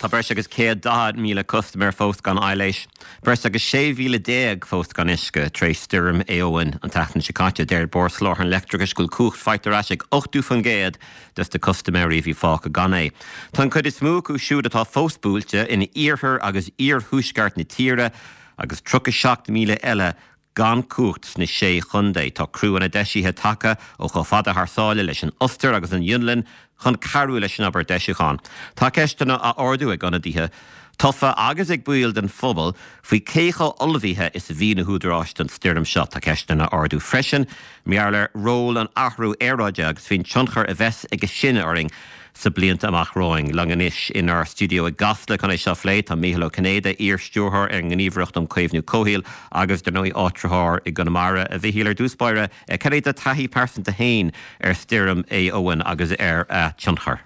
Tá breis agus 140,000 custaiméir fós gan aibhléis, breis agus 16,000 fós gan uisce tar éis stoirm Éowyn an tseachtain seo caite. Deir Bord Soláthair an Leictreachais go bhfuil cumhacht faighte ar ais ag 80% des na custaiméirí a bhí fágtha gan é. Tá an chuid is mó acu siúd atá fós buailte in iarthar agus iarthuaisceart na tíre agus 37,000 eile gan cumhacht sna Sé Chontae. Tá criúnna deisithe tagtha ó chomh fada thar sáile leis an Ostair agus an Fhionlainn chun cabhrú leis an obair deisiúcháin. Tá ceisteanna á ardú ag ionadaithe tofa agus ag baill den phobal faoi cé chomh ullmhaithe is a bhí na húdaráis don stoirm seo. Tá ceisteanna á ardú freisin mar gheall ar ról an athrú aeráide agus faoin tionchar a bheas aige sin orainn sna blianta amach romhainn. Linn anois inár stiúideo i gCasla chun é seo a phlé tá Mícheál Ó Cinnéide, iar-stiúrthóir ar an nGníomhaireacht um Chaomhnú Comhshaoil agus, dar ndóigh, áitritheoir i gConamara. A Mhichíl, ar dtús báire, cad é do thaithí pearsanta féin ar stoirm Éowyn agus ar a tionchar?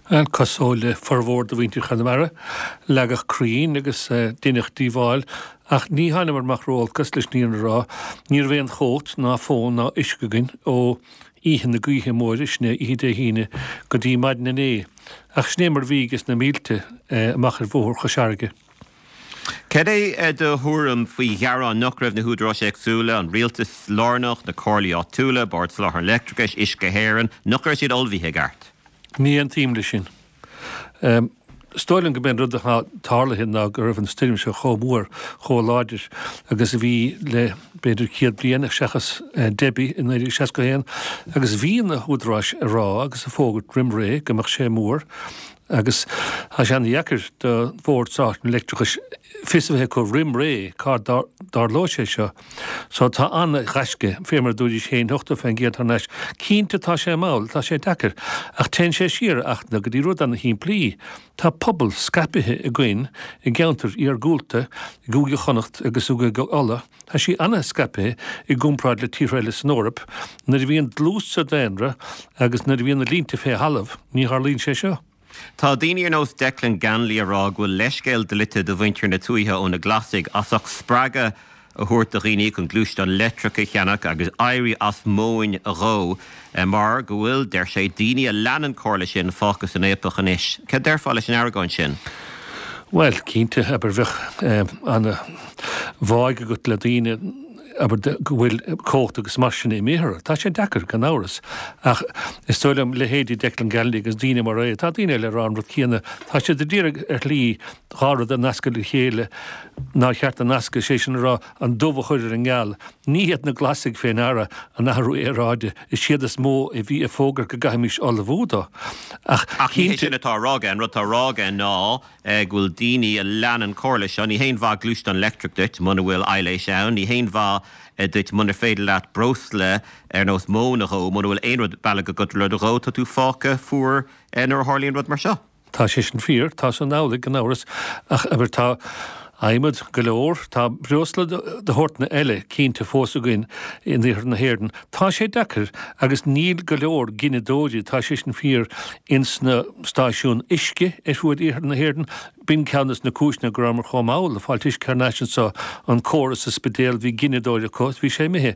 Bhuel, cosúil le formhór de mhuintir Chonamara, leagadh crainn agus deineadh díobháil ach ní thánamar amach ró-olc as, leis an fhírinne a rá. Ní raibh aon chumhacht ná fón ná uisce againn ó oíche na gaoithe móire, sin é oíche Dé hAoine, go dtí maidin inné. Ach sin é mar a bhí ages na mílte amach ar bhóthar Chois Fharraige. Cad é do thuairim faoi ghearáin nach raibh na húdaráis éagsúla, an rialtas lárnach, na comhairlí áitiúla, Bord Soláthair an Leictreachais, Uisce Éireann, nach raibh siad ullmhaithe i gceart? Ní aontaím leis sin. Is dóigh liom go mb'é an rud atá tarlaithe ná go raibh an stoirm seo chomh mór, chomh láidir agus a bhí le b'fhéidir 100 bliain, seachas Debbie i 1961, agus bhí na húdaráis ag rá agus ag fógairt roim ré go mbeadh sé mór agus tá sé an-dheacair do Bhord Soláthair an Leictreachais fios a bheith acu roim ré cá dtarlóidh sé seo. So tá an-ghaisce, fé mar a dúraís féin, 80% thar n-ais. Cinnte tá sé mall, tá sé deacair, ach téann sé siar a Fhachtna go dtí rud ana-shimplí. Tá pobal scaipithe againn i gceantair iargúlta, i gCúige Chonnacht agus i gCúige Uladh. Tá sí ana-scaipithe i gcomparáid le tíortha eile san Eoraip. Nuair a bhíonn dlús sa daonra agus nuair a bhíonn na línte fé thalamh, ní tharlaíonn sé seo. Tá daoine ar nós Declan Ganley ag rá go bhfuil leithscéal dlite do mhuintir na tuaithe ó na Glasaigh as ucht spreagadh a thabhairt do dhaoine chun gluaisteáin leictreacha a cheannach agus éirí as móin a dhó mar go bhfuil, deir sé, daoine a lean an comhairle sin fágtha san fhaopach anois. Cad déarfá leis an argóint sin? Bhuel, cinnte, abair, bheadh ana-bháidh agat le daoine. abair, go bhfuil cumhacht agus mar sin imithe orthu. Tá sé deacair, gan amhras, ach is dóigh liom, leithéidí Declan Ganley agus daoine mar é, tá daoine eile ag rá an rud céanna, tá siad ag iarraidh ar shlí dhá rud a nascadh le chéile nár cheart a nascadh, sé sin a rá, an dubh a chur ar an ngeal. Ní hiad na Glasaigh fé ndeara an athrú aeráide, is iad is mó a bhí ag fógairt go gcaithfimis ullmhú dó. Ach Ach ní hé sin atá á rá aige, an rud atá á rá aige ná go bhfuil daoine a lean an chomhairle seo, ní haon mhaith gluaisteán leictreach duit muna bhfuil aibhléis ann, ní haon mhaith duit munar féidir leat breosla ar nós móin a dhó, muna bhfuil aon rud bealaigh agat le rud a dhó, tá tú fágtha fuar nuair a tharlaíonn rud mar seo. Tá sé sin fíor, tá san amhlaidh gan amhras, ach abair tá adhmad go leor, tá breosla de shórtanna eile cinnte fós againn in iarthar na hÉireann. Tá sé deacair agus níl go leor gineadóirí, tá sé sin fíor, ins na stáisiúin uisce ar fuaid iarthar na hÉireann. B'in ceann des na cúiseanna go rabhamar chomh mall ag fáilt uisce thar n-ais anso, an córas sa Spidéal, bhí gineadóir acu is bhí sé imithe.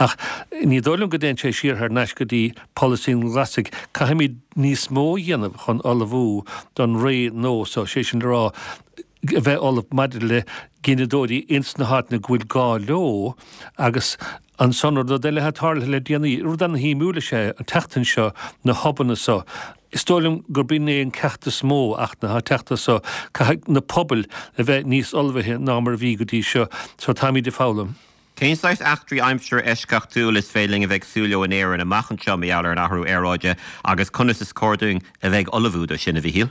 Ach ní dóigh liom go dtéann sé siar thar n-ais go dtí polasaí na nGlasaigh. Caithfimid níos mó a dhéanamh chun ullmhú don ré nua so, sé sin le rá, a bheith ullamh maidir le gineadóirí ins na háiteanna go bhfuil gá leo agus ansan rud eile atá tarlaithe le déanaí, rud ana-shuimiúil is ea an tseachtain seo, na hobanna so. Is dóigh liom gurb in é an ceacht is mó ach atá ag teacht as so, caithfidh na pobail a bheith níos ullmhaithe ná mar a bhí go dtí seo. So táimid ag foghlaim. Cén saghas eachtraí aimsire eisceachtúil is féidir linn a bheith ag súil leo in Éirinn amach anseo mar gheall ar an athrú aeráide agus conas is cóir dúinn a bheith ag ullmhú dó sin, a Mhichíl?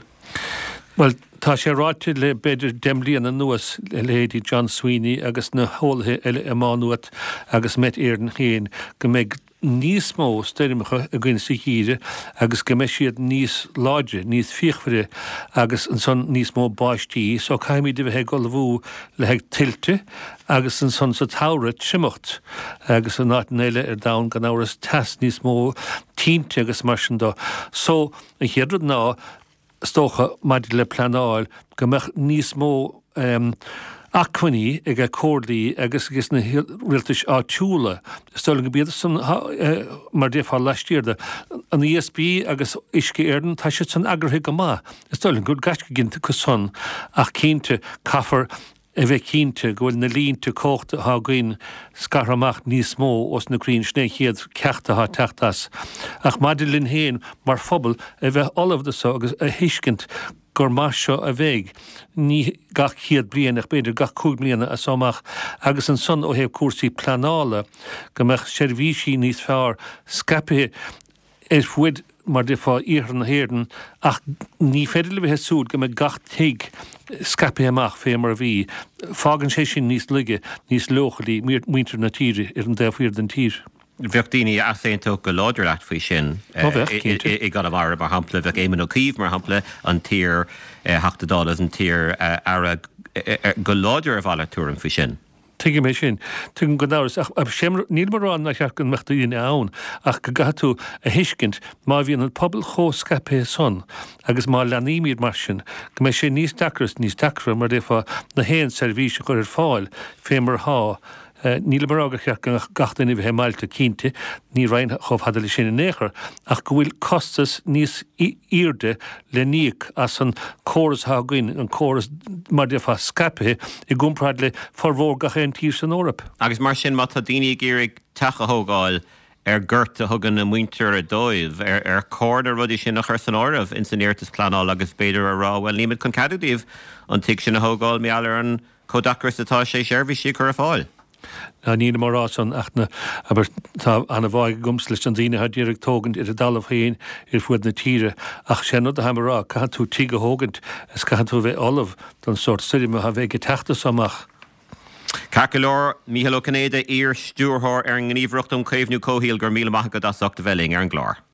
Bhuel, tá sé ráite le b'fhéidir 10 mbliana anuas, le leithéidí John Sweeney agus na heolaithe eile i Má Nuat agus Met Éireann féin, go mbeidh níos mó stoirmeacha againn sa gheimhreadh agus go mbeidh siad níos láidre, níos fíochmhaire agus ansan níos mó báistí so caithfimid a bheith ag ullmhú le haghaidh tuilte agus ansan sa tsamhradh triomacht agus in áiteanna eile ar domhan gan amhras teas níos mó, tinte agus mar sin do. So an chéad rud ná is dócha, maidir le pleanáil, go mbeadh níos mó. acmhainní ag comhairlí agus ages na rialtais áitiúla. Is dóigh liom gurb iad san mar déarfá laistiar de an ESB agus Uisce Éireann, tá siad san eagraithe go maith. Is dóigh liom go bhfuil gaisce déanta acu san ach cinnte caithfear a bheith cinnte go bhfuil na línte cumhachta atá againn scartha amach níos mó ós na crainn. Sin é an chéad ceacht atá ag teacht as. Ach maidir linn féin mar phobal a bheith ullamh do so agus a thuiscint gur mar seo a bheidh, ní gach 100 bliain ach b'fhéidir gach 5 mbliana as so amach agus ansan ó thaobh cúrsaí pleanála go mbeadh seirbhísí níos fearr scaipthe ar fuaid mar déarfá iarthar na hÉireann ach ní féidir le bheith ag súil go mbeidh gach tigh scaipthe amach fé mar a bhí. Fágann sé sin níos laige, níos leochailí muintir na tíre ar an dtaobh thiar den tír. Bheadh daoine a easaontódh go láidir leat faoi sin i gConamara, mar shampla. Bheadh Éamon Ó Cuív, mar shampla, an t-iar-Theachta Dála agus an t-iar-Aire, go láidir ar mhalairt tuairim faoi sin. Tuigim é sin. Tuigim gan amhras. Ach nílim ag rá nár cheart go mbeadh daoine ann ach go gcaithfidh tú a thuiscint má bhíonn an pobal chomh scaipthe san agus má leanaímid mar sin go mbeidh sé níos deacra is níos deacra, mar a déarfá, na haon seirbhís a chur ar fáil fé mar atá. Nílim ag rá gur cheart go gach duine a bheith i mbailte, cinnte, ní raghainn chomh fada leis sin in aon chor, ach go bhfuil costas níos airde le n-íoc as an córas atá againn, an córas, mar a déarfá, scaipthe i gcomparáid le formhór gach aon tír san Eoraip. Agus mar sin, má tá daoine ag iarraidh teach a thógáil ar gort a thugann a muintir dóibh, ar chóir na rudaí sin a chur san áireamh ins an iarratas pleanála agus b'fhéidir a rá, bhuel, nílimid chun ceadú daoibh an tigh sin a thógáil mar gheall ar an chomh deacair is atá sé seirbhísí a chur ar fáil. Ná nílim á rá san ach na, abair, tá ana-bháidh agamsa leis na daoine atá d'iarraidh tógaint ar a dtalamh féin ar fuaid na tíre ach sé an rud atáim a rá, caithfidh tú tigh a thógaint is caithfidh tú a bheith ullamh don sórt stoirme atá a bheidh ag teacht as so amach. Ceart go leor, Mícheál Ó Cinnéide, iar-stiúrthóir ar an nGníomhaireacht um Chaomhnú Comhshaoil, go raibh míle maith agat as ucht a bheith linn ar an gclár.